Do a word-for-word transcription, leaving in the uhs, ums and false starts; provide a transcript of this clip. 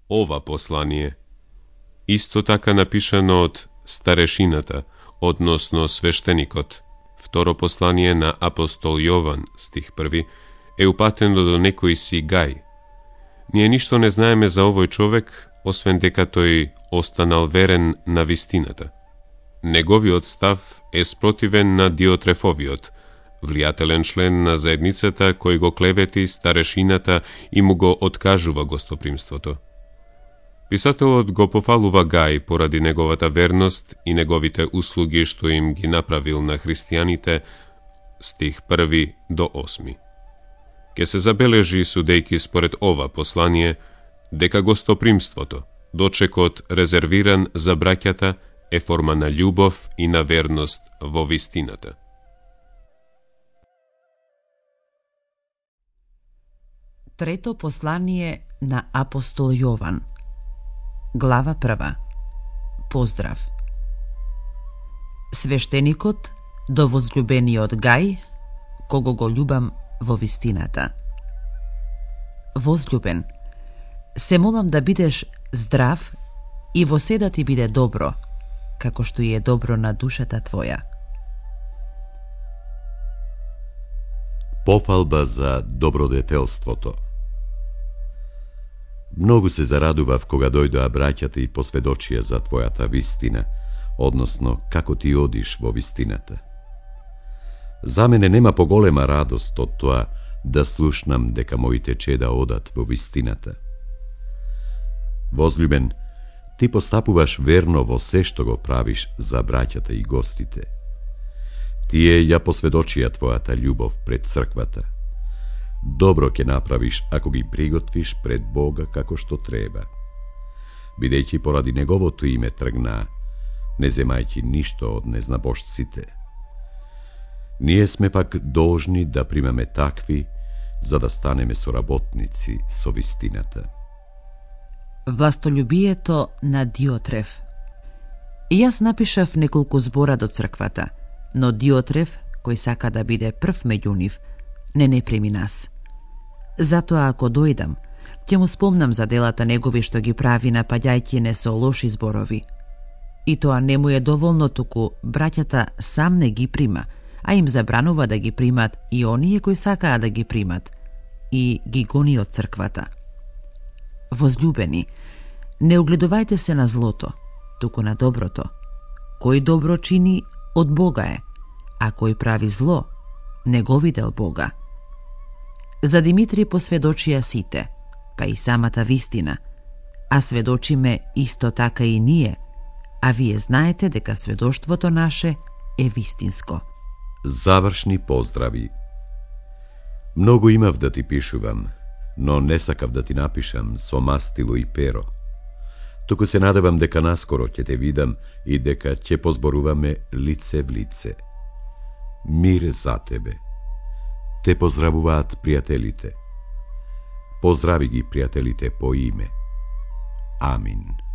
ова послание. Исто така напишано од старешината, односно свештеникот. Второ послание на апостол Јован, стих први, е упатено до некој си Гај. Ние ништо не знаеме за овој човек, освен дека тој останал верен на вистината. Неговиот став е спротивен на Диотрефовиот, влијателен член на заедницата кој го клевети старешината и му го откажува гостопримството. Писателот го пофалува Гај поради неговата верност и неговите услуги што им ги направил на христијаните, стих први до осми. Ке се забележи, судејки според ова послание, дека гостопримството, дочекот резервиран за браќата, е форма на љубов и на верност во вистината. Трето послание на апостол Јован. Глава прва. Поздрав. Свештеникот до возлюбениот Гај, кого го љубам во вистината. Возлюбен, се молам да бидеш здрав и во се да ти биде добро, како што и е добро на душата твоја. Пофалба за добродетелството. Многу се зарадував кога дојдоа браќата и посведочија за твојата вистина, односно како ти одиш во вистината. За мене нема поголема радост од тоа да слушнам дека моите чеда одат во вистината. Возлюбен, ти постапуваш верно во се што го правиш за браќата и гостите. Тие ја посведочија твојата љубов пред црквата. Добро ќе направиш ако ги приготвиш пред Бога како што треба. Бидејќи поради неговото име тргнаа, не земајќи ништо од незнабожците. Ние сме пак должни да примаме такви, за да станеме соработници со вистината. Властолюбието на Диотреф. И јас напишав неколку збора до црквата, но Диотреф, кој сака да биде прв меѓу нив, не не прими нас. Затоа ако дојдам, ќе му спомнам за делата негови што ги прави напаѓајќи не со лоши зборови. И тоа не му е доволно, туку браќата сам не ги прима, а им забранува да ги примат и оние кои сакаат да ги примат, и ги гони од црквата. Возлюбени, не огледувајте се на злото, туку на доброто. Кој добро чини, од Бога е, а кој прави зло, не го видел Бога. За Димитри посведочија сите, па и самата вистина, а сведочиме исто така и ние, а вие знаете дека сведоштвото наше е вистинско. Завршни поздрави. Многу имав да ти пишувам, но не сакав да ти напишам со мастило и перо. Туку се надевам дека наскоро ќе те видам и дека ќе позборуваме лице в лице. Мир за тебе. Те поздравуваат пријателите. Поздрави ги пријателите по име. Амин.